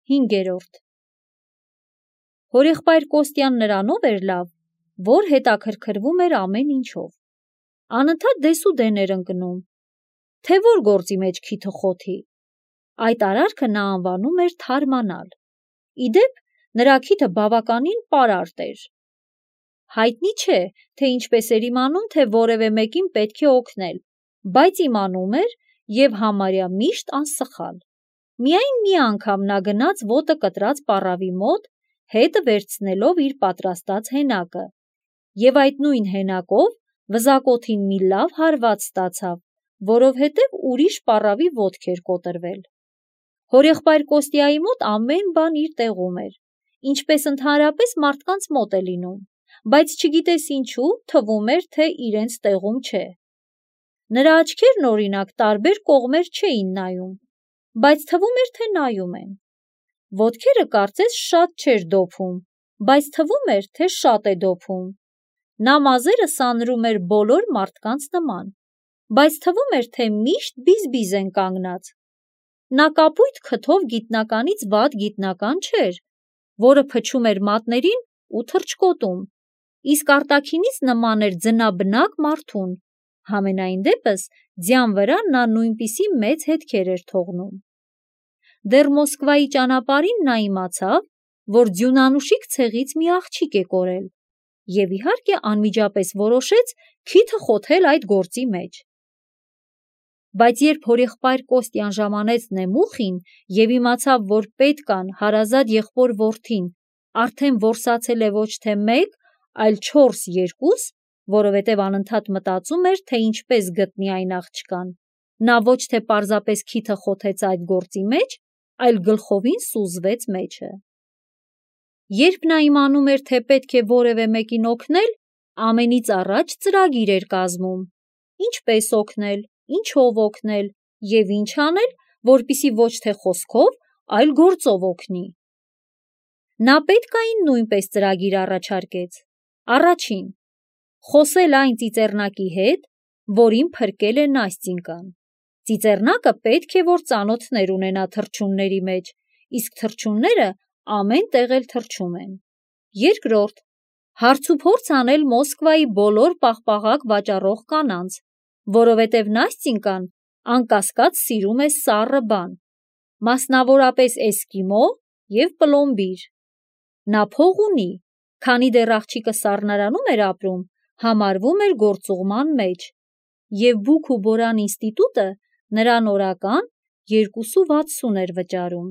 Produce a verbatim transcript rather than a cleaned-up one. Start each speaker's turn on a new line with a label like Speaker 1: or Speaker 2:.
Speaker 1: հինգերորդ Հորեղբայր Կոստյան նրանով էր լավ, որ հետաքրքրվում էր ամեն ինչով, անընդհատ դեսուդեն էր ընկնում, թե որ գործի մեջ քիթը խոթի, այդ արարքը նա անվանում էր թարմանալ, իդեպ նրա քիթը բավականին պարարտ էր, հայտնի չէ, թե ինչպես էր իմանում, թե որևէ մեկին պետք է օգնել, բայց իմանում էր և համարյա միշտ անսխալ, միայն մի անգամ նա գնաց ոտը կտրած պառավի մոտ, հետը վերցնելով իր պատրաստած հենակը, և այդ նույն հենակով վզակոթին մի լավ հարված ստացավ, որովհետև ուրիշ պառավի ոտք էր կոտրվել, հորեղբայր Կոստյայի մոտ ամեն բան իր տեղում էր, ինչպես ընդհանրապես մարդկանց մոտ է լինում, բայց չգիտես ինչու թվում էր, թե իրենց տեղում չէ, նրա աչքերն օրինակ տարբեր կողմեր չէին նայում, բայց թվում էր, թե նայում են, ոտքերը կարծես շատ չէր դոփում, բայց թվում էր, թե շատ է դոփում, նա մազերը սանրում էր բոլոր մարդկանց նման, բայց թվում էր, թե միշտ բիզ-բիզ են կանգնած, նա կապույտ քթով գիտնականից վատ գիտնական չէր, որը փչում էր մատներին ու թռչկոտում, իսկ արտաքինից նման էր ձնաբնակ մարդուն, համենայն դեպս ձյան վրա նա նույնպիսի մեծ հետքեր էր թողնում, դեռ Մոսկվայի ճանապարհին նա իմացավ, որ ձյունանուշիկ ցեղից մի աղջիկ է կորել և իհարկե անմիջապես որոշեց քիթը խոթել այդ գործի մեջ, բայց երբ հորեղբայր Կոստյան ժամանեց նեմուխին և իմացավ, որ պետկան հարազատ եղբոր որդին արդեն որսացել է ոչ թե մեկ, այլ չորս երկուս, որովհետև անընդհատ մտածում էր, թե ինչպես գտնի այն աղջկան, նա ոչ թե պարզապես քիթը խոթեց այդ գործի մեջ, այլ գլխովին սուզվեց մեջը, երբ նա իմանում էր, թե պետք է որևէ մեկին օգնել, ամենից առաջ ծրագիր էր կազմում, ինչպես օգնել, ինչով օգնել և ինչ անել, որպեսզի ոչ թե խոսքով, այլ գործով օգնի, նա պետկային նույնպես ծրագիր առաջարկեց, առաջին, խոսել այն ծիծեռնակի հետ, որին փրկել է Նաստյինկան, ծիծեռնակը պետք է, որ ծանոթներ ունենա թռչունների մեջ, իսկ թռչունները ամեն տեղ էլ թռչում են, երկրորդ, հարցուփորձ անել Մոսկվայի բոլոր պաղպաղակ վաճառող կանանց, որովհետև Նաստյինկան անկասկած սիրում է սառը բան, մասնավորապես էսկիմո և պլոմբիր, նա փող ունի, քանի դեռ աղջիկը սառնարանում էր ապրում, համարվում էր գործուղման մեջ, և Բուք ու Բորան ինստիտուտը նրան օրական երկուսու վաթսուն էր վճարում,